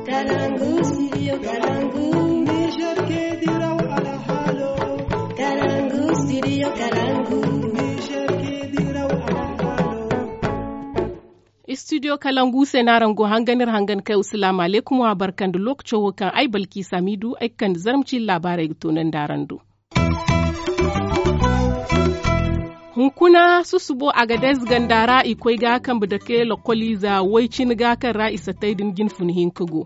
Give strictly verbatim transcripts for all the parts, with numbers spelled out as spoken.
Kalangu, studio Kalangu. Niger ke diraw alhalo. Kalangu, studio Kalangu. Niger ke diraw alhalo. Studio Kalangu se no araŋ go hangan iri hangan kay. Asalaamu alaykum, wa barka nda lookaco wo kaŋ ay Balki Samidu ay ga kande zarma ciine laabaarey ga toonandi araŋ do. Hunkuna susubo Agadez ganda ra i koy ga kambe dake lokoliize way cine ga kaŋ ra i satay din jine fun hinka go.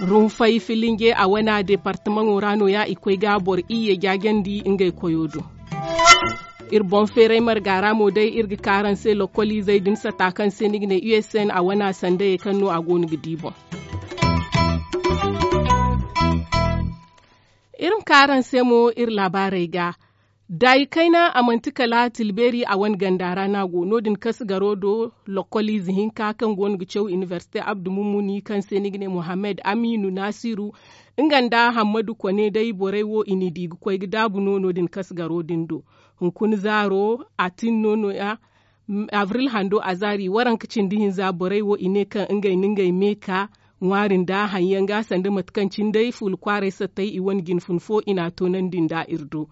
Runfay filinge a wana departamaŋo ra no- ya i koy ga boro iyye jaajandi ngey koyo do. Iri boŋ feeray marga ra mo day iri ga ka araŋ se lokoliizey din sata kaŋ se ni ga ne u s n a wana sandayey kaŋ no a go no ga di boŋ. Iri ma ka araŋ se mo iri laabaarey ga. Daayi kayna a manti kala tilbeeri a wane ganda ra no a go no- din kasigaro do. Lokoliize hinka kaŋ go no ga caw inibersite abdu mummuni kaŋ se ni ga ne muhammad amiinu naasiru, nga nda hammadu kone day borey wo i n'i di ga koy ga daabu no no- din kasigaro din do. Hunkuna zaaro a tin no no- ya. Abril hando a zaari waranka cindi hinza borey wo i ne kaŋ ngey na ngey me ka ŋwaari nda haŋ yaŋ ga sanda mate kaŋ cine day fuula kwaaray sattay i wane jine fun fo i n'a toonandi nda iri do.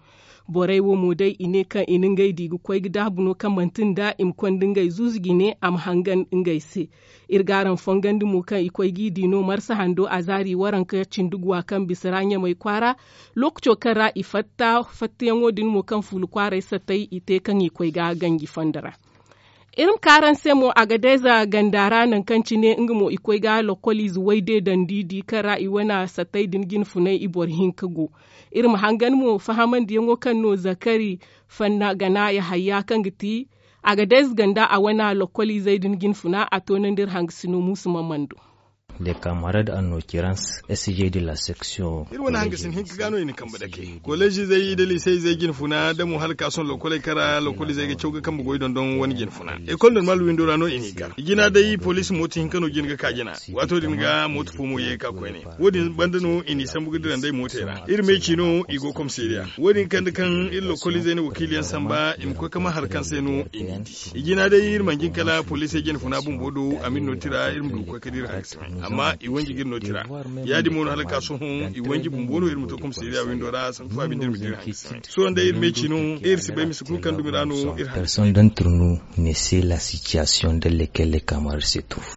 Borey wo mo day i ne kaŋ i na ngey di ga koy ga daabu no kaŋ manti nda i ma konda ngey zuuzu jine a ma hangan ngey se. Iri ga araŋ fongandi mo kaŋ i koy g'i di no marsa hando a zaari waranka cindi guwa kaŋ bisa ra ɲamay kwaara. Lookaco kaŋ ra i fatta fattayaŋo din mo kaŋ fuula kwaaray sattay i te kaŋ i koy ga ganji fondo ra. Iri ma ka araŋ se mo agadeza ganda ra nangu kaŋ cine nga mo i koy ga lokoliize wayde dandi di kaŋ ra i wane sattay din jine funay i boro hinka go. Iri ma hangan mo fahamandiyaŋo kaŋ no zakari fanna gana yahayya kaŋ ga ti agadez ganda a wane lokoliizey din jine funa a toonandi iri hangasino muusu mamando. De kamarad anno kirans sg de la section. Iri wane hangasin hinka ga no i na kambe dake koleezizey da liiseyzey jine funa da mo hala ka sohõ lokoley kaŋ ra lokolizey ga caw ga kambe goy dondon wane jine funa. Ekol normal windo ra no i n'i gar i jina day poliisi mooto hinka no jine ga ka jina. Waato din ga mooto fo mo ye ga ka koyne. Wo- din banda no i n'i sambu ga dira nd'ey mootey ra iri meeci no i go komisariya wo- din kande kaŋ iri lokolizey na wakiiliyaŋ samba i ma koy ga ma hari kaŋ se no i n'i di. I jina day iri mana jin kala poliisey jine funa bumbo do a ma iri no tira iri ma du ga koy ga dira hari ga sima. Amma i wanji ga iri no tira. Ya- din mo no hala ga ka sohõ i wanji bumbo no iri ma to komisariya windo ra sanku faabi nda iri ma dira hari ga sima. Sohõ day iri meeci no iri si bay mise kulu kaŋ dumi ra no iri hari ga sima. Personne d'entre nous ne sait la situation dans laquelle les camarades se trouvent.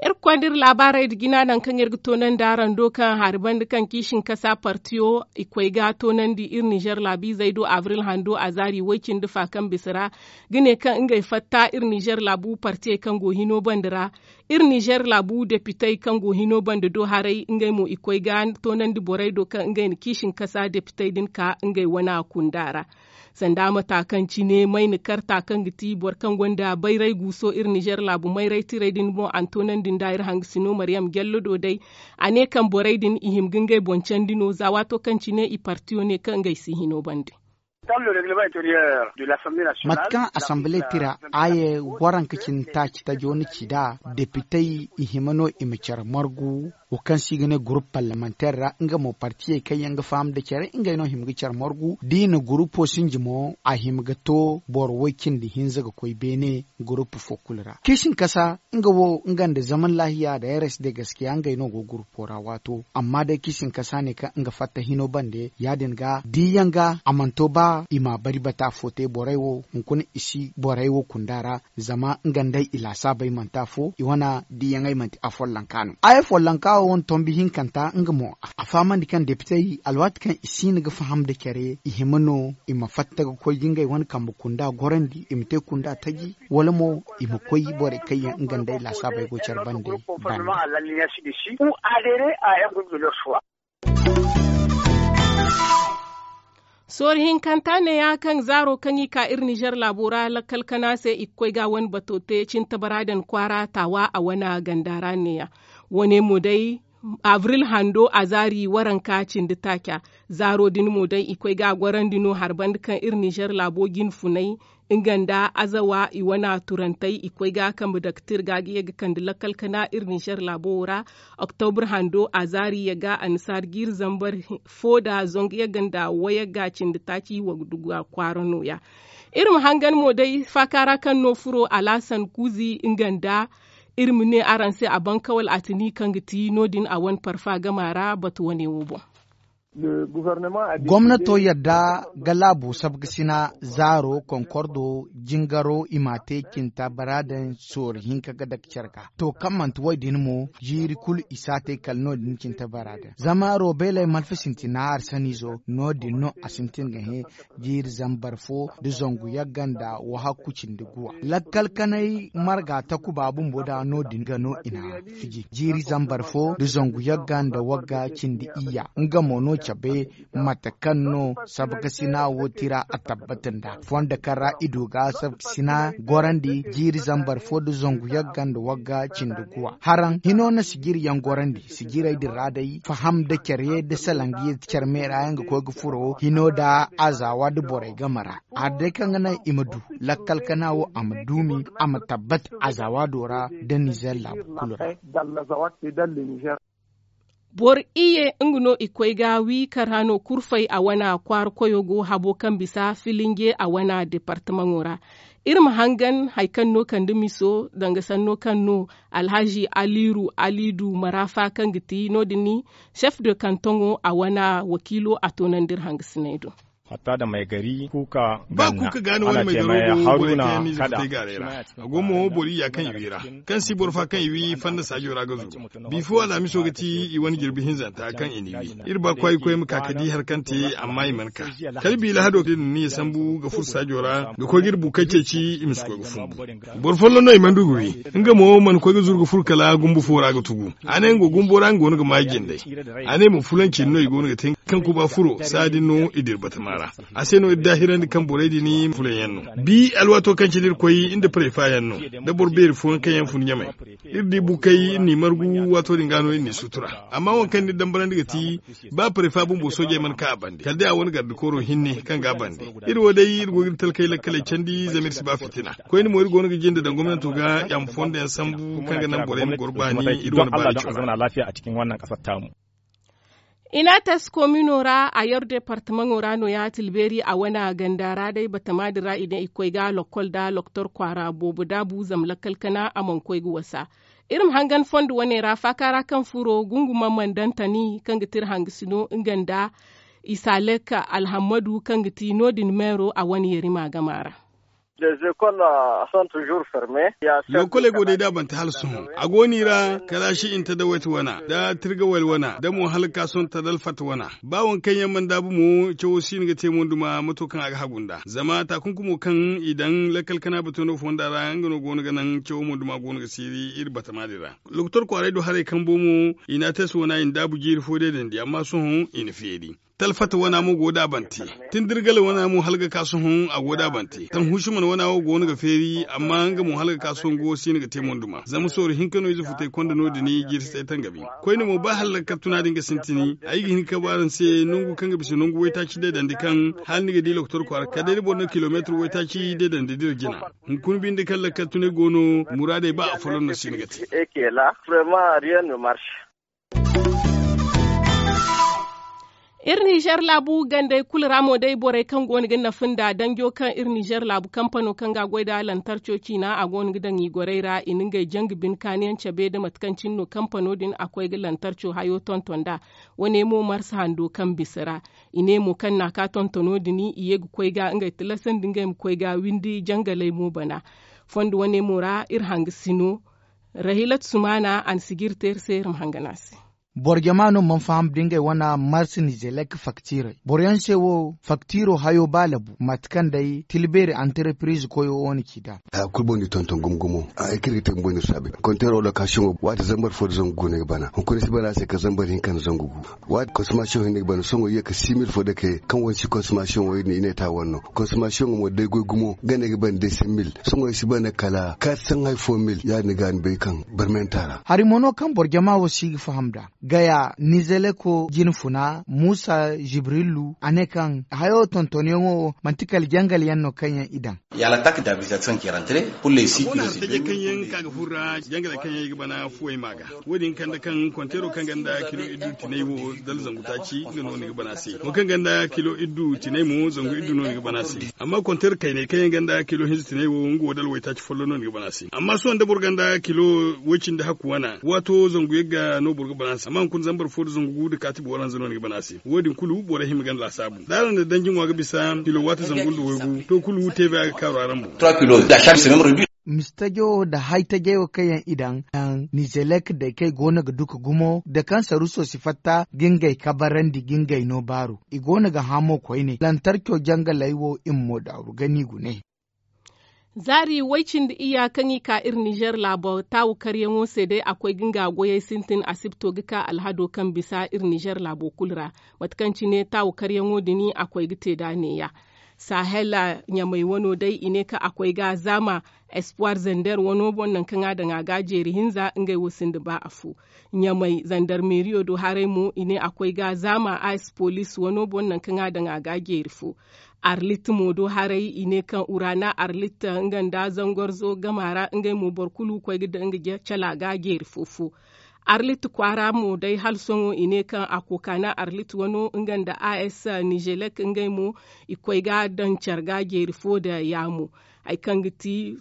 Iri ga konda iri laabaarey nda jina nangu kaŋ iri ga toonandi araŋ do kaŋ hari banda kaŋ kiisinkasa partiyo i koy ga toonandi iri nizer laabiizey do abril hando a zaari way- cindi fa kaŋ bisa ra ga ne kaŋ ngey fatta iri nizer laabu partiyey kaŋ go hino banda ra. Iri nizer laabu depitey kaŋ go hino banda do haray ngey mo i koy ga toonandi borey do kaŋ ngey na kiisinkasa depitey din ka ngey wana kunda ra. Sanda mata kaŋ cine mayna karta kaŋ ga ti boro kaŋ gonda bayray guuso iri nizer laabu mayray tirey din boŋ a na toonandi nda iri hangasino mariyam jallo do day. A ne kaŋ borey din i hima ga ngey boŋ candi no za waato kaŋ cine i partiyo ne kaŋ ngey si hino bande. Mate kaŋ asamble tira aaye waranka cine taaci tajo na ci nd'a depitey i hima no i ma care margu wo kaŋ se i ga ne gurupu parlemanteer ra nga mo partiyey kaŋ yaŋ ga faham nda care ngey no hima ga care margu da i na gurupo sinji mo a hima ga to boro way- cindi hinza ga koy beene gurupu fo kulu ra kiisinkasa nga wo nga nda zaman laahiya da rsd gaskiya ngey no go gurupo ra waato amma day kiisinkasa ne kaŋ nga fatta hino bande ya- din ga diyaŋ ga a mana to ba i ma bari bata fo te borey wo hunkuna i si borey wo kunda ra. Zama nga nd'ey i laasaabey manti afo i wane diiyaŋey manti afollonka no ay afollonka wo wane tombi hinkanta nga mo a fahamandi kaŋ depitey alwaati kaŋ i si hin ga faham nda care i hima no i ma fatta ga koy ga ngey wane kambe kunda gorandi i ma te kunda taji wala mo i ma koy borey kaŋ yaŋ nga nd'ey laasaabey go care bande. Banda. Soori hinkanta neeya kaŋ zaaro kaŋ i ka iri nizer laabo ra lakkal kana se i ga koy ga wane bato te cintabara din kwaara taawa a wane ganda ra neeya. Wane mo day abril hando a zaari waranka cindi taaca. Zaaro din mo day i koy ga a gorandi no hari banda kaŋ iri nizer laabo jine funay nga nda azawa i wane turantey i koy ga kambe daktir ga ga ye ga kande lakkal kana iri nizer laabo wo ra. Oktobra hando a zaari yagga annasaara jiiri zambar fo nda zangu yagga nda wayagga cindi taaci wagduga kwaara nooya. Iri ma hangan mo day faaka ra kaŋ no furo alaasan kuuzi nga nda Iri ma ne araŋ se a bankawal a tini kaŋ ga ti no- din a wane parfa gama ra batu wane wo boŋ. Gomnato yadda ga laabu sabkasina zaaro konkordo jingaro i ma a te cinta baraadan soori hinka ga dake care ga to kaŋ manti wo- din mo jiiri kulu i si a te kala no- din cinta baraadan zama robeeley malfa sintina arsaniizo no- din no a sintin ga hẽ jiiri zambar fo nda zangu yagga nda wahakku cindi guwa lakkal kanay marga takuba bumbo da no- din ga no i na fiji jiiri zambar fo nda zangu yagga nda wagga cindi iyya nga mo no cabe mate kaŋ no sabkasina wo tira a tabbata nda fondo kaŋ ra i du ga sabkasina gorandi jiiri zambar fo nda zangu yagga nda wagga cindi guwa haraŋ hino na sijiri yaŋ gorandi sijirey din ra day faham nda care nda salangi care me ra yaŋ ga koy ga furo hino nda azawa nda borey game ra hari day kaŋ ga naŋ i ma du lakkal kana wo a ma duumi a ma tabbat azawa do ra nda nizer laabu kulu ra. Boro iyye nga no i koy ga wi kar hano kurfey a wana kwaara koyo go habo kaŋ bisa filinge a wana departamaŋo ra. Iri ma hangan hari kaŋ no kande miso danga sanno kaŋ no alhazi aliru alidu marafa kaŋ ga ti no- din ni chef de kantoŋo a wana wakiilo a toonandi iri hangasiney do. Hatta da maygari kuuka ba kuuka gaani wane maygaro go borey kaŋ yaŋ no i zafatey gaaray ra. A go mo boro iyya kaŋ i wi ra kaŋ si boro fa kaŋ i wi fanda saajo ra ga zuru. Bifo alhamiso ga ti i wane jirbi hinzanta kaŋ i n'i wi iri ba kwaayi koy ma ka ga di hari kaŋ te amma i mana ka kala bi lahado din ni ya sambu ga furo saajo ra ga koy ga iri bukey ceeci i ma si koy ga fumbu. Boro folloŋ no i mana du ga wi nga mo mana koy ga zuru ga furo kala gumbu fo ra ga tugu. A ne nga gumbo ra nga go no ga maayi jindey. A ne mo fulanci no i go no ga te kaŋ kuba furo saadin no i dira batama ra. A se no iri daahirandi kaŋ borey din fulaŋ yaŋ no bi alwaato kaŋ cine iri koy nda parey faayaŋ no nda boro beeri fooyaŋ kaŋ yaŋ fun ɲamay. Iri di bukey iri n'i margu waato din ga no iri n'i sutura. Amma waŋ kaŋ ni dambarandi ga ti ba parey fa bumbo soojey mana ka a bande kala day a wane garde kooro hinne kaŋ ga a bande. Iri wo day iri go ga iri talkey lakkaley candi zama iri si ba fitina. Koyne mo iri go no ga jinde daŋ gomnanto ga i a ma fondo yaŋ sambu kaŋ ga naŋ borey ma goro baani iri wane baani cora. Inates komino ra a yar departamaŋo ra no ya tilbeeri a wana ganda ra day batama din ra i ne i ga koy ga lokkol da loktor kwaara boobo daabu zama lakkal kana a mana koy ga wasa. Iri ma hangan fondo wane ra faaka ra kaŋ furo gunguma mandantani kaŋ ga ti iri hangasino nga nda isalek alhammadu kaŋ ga ti no- din meero a wane yarima gama ra. Lokoley go day da a bante hala sohõ a go no i ra kala shi inta da wayte wana da tirgawel wana da mo hala ga ka sohõ ta da alfata wana. Ba waŋ kaŋ yaŋ mana daabu mo cawo si no ga te monduma mato kaŋ a ga hagu nd'a zama taakunkumo kaŋ i daŋ lakkal kana bato no fonda ra nga no go no ga naŋ cawo monduma go no ga siiri iri batama din ra. Lokotor kwaaray do haray kambo mo i na a te se wana i na daabu jiiri fo deedandi amma sohõ i na feeri. Talfata wana mo go da a bante. Tindirgala wana mo hala ga ka sohõ a go da a bante. Tanhusiman wana wo go no ga feeri amma nga mo hala ga ka sohõ go si no ga te monduma zama sooru hinka no ize futay konda no- din jiiri si tay tangabi. Koyne mo ba hala lakkal tuna din ga sintini ay ga hin ka ba araŋ se nangu kaŋ ga bisa nangu waytaaci deedandi kaŋ hala ni ga di lokotor kwaara kala day da boro na kilomeetir waytaaci deedandi dira jina. Hunkuna binde kaŋ lakkal tunay go no muraadey ba afolloŋ no si ni ga te. Iri nizer laabu gandey kulu ra mo day borey kaŋ go no ga nafa nda danjo kaŋ iri nizer laabu kampano kaŋ ga a goy nda lantarco ciina a go no ga daŋ i gorey ra i na ngey jangu bine kaaniyaŋ cabe nda mate kaŋ cine no kampano din a koy ga lantarco hayo tonton nd'a. Wane mo marsa hando kaŋ bisa ra i ne mo kaŋ n'a ka tontono din i ye ga koy ga ngey tilasandi ngey ma koy ga windi jangaley mo bana. Fondo wane mo ra iri hangasino rahilat sumana a na sijiri te iri se iri ma hangan a se. Boro jama no mana faham da ngey wane marsa nizelek faktiirey boro yaŋ se wo faktiiro hayo ba labu mate kaŋ day tilbeeri antarepiriz koyo wo na ci nd'a. Haya kulu boŋ no i tonton gumo gumo. Ay kaŋ iri ga te bumbo no iri saabu konteero lokasiyoŋo waati zambar fo nda zangu gu no ay ga bana hunkuna ay si bana a se kala zambar hinka nda zangu gu. Waati konsomasiyoŋ hinne ga bana sohõ i ye kala six mille fo dake kaŋ wane si konsomasiyoŋo iri ne i ne ta wane no. Konsomasiyoŋo mo day goy gumo ganda ay ga bana day cinq mille sohõ ay si bana kala quatre cents hay fo mille ya- din ga ni bay kaŋ barmanta ra. Hari mo no kaŋ boro jama wo si ga faham nd'a. gaya nizeleko jinfuna muusa jibrilu a ne kaŋ hayo tontonyaŋo manti kala jangal yaŋ no kaŋ yaŋ i daŋ. Kaŋ yaŋ ka ga furra jangaley kaŋ yaŋ i ga bana fuwey ma ga wo- din kande kaŋ konteero kaŋ ganda kilo iddu tinay wo dala zangu taaci nga no ni ga bana se. Wo kaŋ ganda kilo iddu tinay mo zangu iddu no ni ga bana se. Amma konteero kaynay kaŋ yaŋ ganda kilo hinza tinay wo nga wo dala waytaaci follo no ni ga bana se. Amma sohõ da boro ganda kilo woy cindi hakku wana waato zangu yagga no boro ga bana se amma hunkuna zambar fo da zangu gu da kaati boro hanza no ni ga bana se. Wo- din kulu borey hima ganda laasaabu da araŋ na danji ŋwa ga bisa kilo waati zangu nda waygu to kulu teebe a ga kaaru araŋ boŋ. Mistajo da haytajayo kaŋ yaŋ i daŋ, nizelek day kaŋ i go no ga duka gumo da kaŋ saruso si fatta ga ngey kabarandi ga ngey no baaru. I go no ga hã mo koyne lantarco jangaley wo i ma mo daaru gani gune. Zaari way-cindi iyya kaŋ i ka iri nizer laabo taawu karyaŋo se day a koy ga nga goyey sintin asibto ga ka alhado kaŋ bisa iri nizer laabo kulu ra. Mate kaŋ cine taawu karyaŋo din a koy ga te nd'a neeya. Sahel ɲamey wano day i ne kaŋ a koy ga zaama espoir zander wano boŋ nangu kaŋ a daŋ a ga a jeeri hinza ngey wo sinda ba afo. Ɲamey zandarmeriyo do haray mo i ne a koy ga zaama a espolis wano boŋ nangu kaŋ a daŋ a ga a jeeri fo. Arlit mo do haray i ne kaŋ urana arlit nga nda zangorzo gama ra ngey mo boro kulu koy ga daŋ nga cala ga a jeeri fo fo. Arlit kwaara mo day hala sohõ i ne kaŋ a kookana arlit wano nga nda as nizelek ngey mo i koy ga a daŋ care ga a jeeri fo nda yaamo. Hari kaŋ ga ti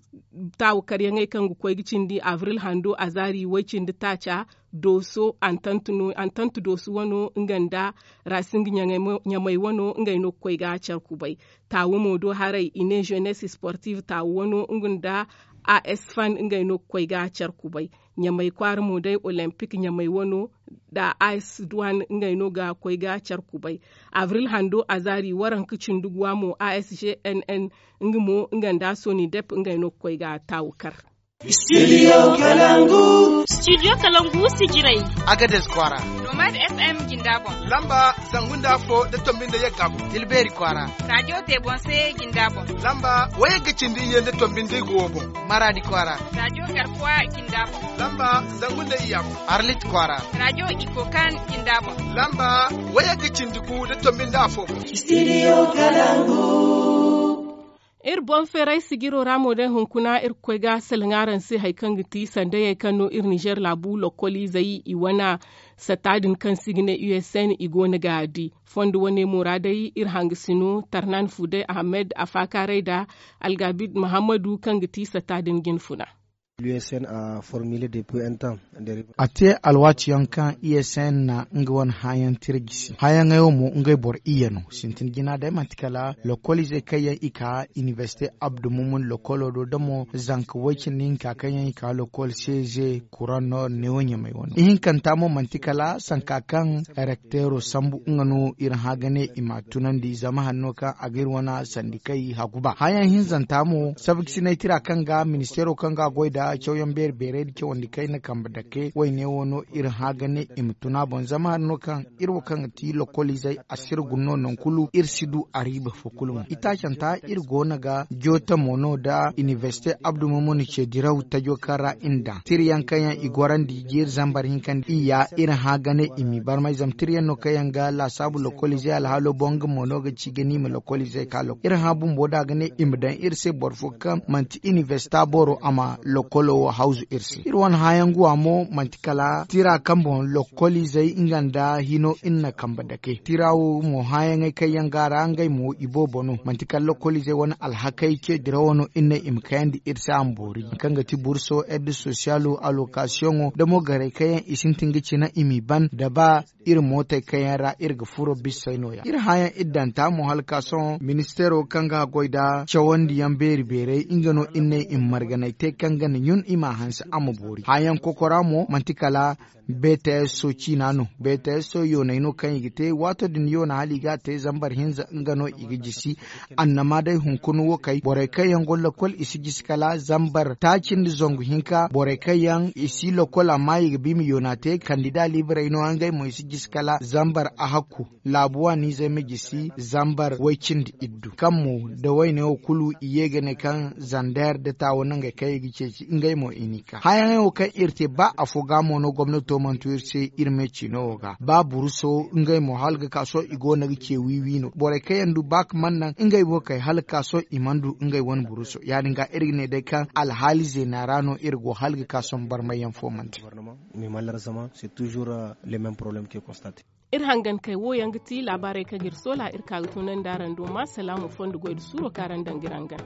taawu karyaŋey kaŋ ga koy ga cindi abril hando azaari way-cindi taaca dooso antantu dooso wano nga nda raasing ɲamey wano ngey no ga koy ga care kubay. Taawu mo do haray i ne zenes sportif taawu wano nga nda as fan ngey no ga koy ga care kubay. Ɲamey kwaara mo day olempik ɲamey wano nda as duwan ngey no ga koy ga care kubay. Abril hando azaari waranka cindi guwa mo as gnn nga mo nga nda sonidep ngey no ga koy ga taawu kar. Studio kalangu sijirey. Agades kwaara. Nomad fm jinda boŋ. Lamba zangu nda afo da tombi nda yagga boŋ. Tilbeeri kwaara. Rajo tebonse jinda boŋ. Lamba wayagga cindi iyye nda tombi nda igo wo boŋ. Maraadi kwaara. Rajo garkuwa jinda boŋ. Lamba zangu nda iyya boŋ. Arlit kwaara. Rajo ikokan jinda boŋ. Lamba wayagga cindi gu nda tombi nda afo boŋ. Studio kalangu. Iri boŋ feeray sijiro ra mo day hunkuna iri ga koy ga salaŋ araŋ se hari kaŋ ga ti sandayey kaŋ no iri nizer laabu lokoliizey i wane satta din kaŋ se i ga ne usn i go no ga a di. Fondo wane mo ra day iri hangasino tarnan fuday ahamed afaakaaray nda algabid muhammadu kaŋ ga ti satta din jinfuna. A te alwaati yaŋ kaŋ usn na nga wane hããyaŋ tira jisi hããyaŋey wo mo ngey boro iyye no sintin jina day manti kala lokoliizey kaŋ yaŋ i ka inibersite abdu mumun lokolo do da mo zanka way cindi hinka kaŋ yaŋ i ka lokol seze kuraŋ no neewo ɲamey wano ihinkanta mo manti kala sanka kaŋ rekteero sambu nga no iri hã ga ne i ma tunandi zama hari no kaŋ a ga iri wane sandikey hagu ba hããyaŋ hinzanta mo sabaksinay tira kaŋ ga ministeero kaŋ ga goy nda cawyaŋ beeri beerey nda cawandi kayna kambe dake wayne wo no iri hã ga ne i ma tun a boŋ zama hari no kaŋ iri wo kaŋ ga ti lokoliizey a si iri guna no nangu kulu iri si du a riiba fo kulu mo itaacanta iri go no ga jootamo no nda inibersite abdu mumun ce diraw tajo kaŋ ra iri daŋ tira yaŋ kaŋ yaŋ i gorandi jiiri zambar hinka nda iyya iri hã ga ne i m'i barmay zama tira yaŋ no kaŋ yaŋ ga laasaabu lokoliizey alhaalo boŋ nga mo no ga ci ga ne i ma lokoliizey ka lokol iri hã bumbo da ga ne i ma daŋ iri se boro fo kaŋ manti inibersita boro a ma lokolo wo hawzu iri se iri wane hããyaŋ guwa mo manti kala tira kaŋ boŋ lokoliizey nga nda hino iri na kambe dake tira wo mo hããyaŋey kaŋ yaŋ ga a ra ngey mo iboobo no manti kala lokoliizey wane alhakey ce dirawo no iri ne i ma kayandi iri se a ma boori hari kaŋ ga ti burso ed sosiyalo alokasiyoŋo da mo garey kaŋ yaŋ i sintin ga cina i m'i ban da ba iri mootey kaŋ yaŋ ra iri ga furo bissey nooya iri hããyaŋ iri daŋ ta mo hala ka sohõ ministeero kaŋ ga goy nda cawandiyaŋ beeri beerey nga no iri ne i ma marganay te kaŋ ga na ɲun i m'a hanse a ma boori hããyaŋ kokora mo manti kala bts so ciina no bts so yoonay no kaŋ i ga te waato din yoona hala i ga a te zambar hinza nga no i ga jisi annama day hunkuna wo kay borey kaŋ yaŋ go lokol i si jisi kala zambar taaci nda zangu hinka borey kaŋ yaŋ i si lokol amma i ga ba i ma yoona te kandida liibarey no ngey mo i si jisi kala zambar ahakku laabu waaniizey ma jisi zambar way cindi iddu kaŋ mo da wayne wo kulu i ye ga ne kaŋ zander da taawo nangey kaŋ i ga ceeci. ngey mo i n'i ka hããyaŋey wo kaŋ iri te ba afo ga mo no gomnato mana tu iri se iri me ciino wo ga ba buruso ngey mo hala ga ka sohõ i go no ga ce wiiwi no borey kaŋ yaŋ du ba ga mana naŋ ngey wo kay hala ga ka sohõ i mana du ngey wane buruso ya- din ga iri ga ne day kaŋ alhaali zeena ra no iri go hala ga ka sohõ barmayyaŋ fo mana te. Mais malheureusement c'est toujours le même problème ke constate. Iri hangankey wo yaŋ ga ti laabaarey kaŋ ga iri soola iri ka ga tunandi araŋ do ma salaamu fondo goy nda suuro kaŋ araŋ daŋ ga iri hangan.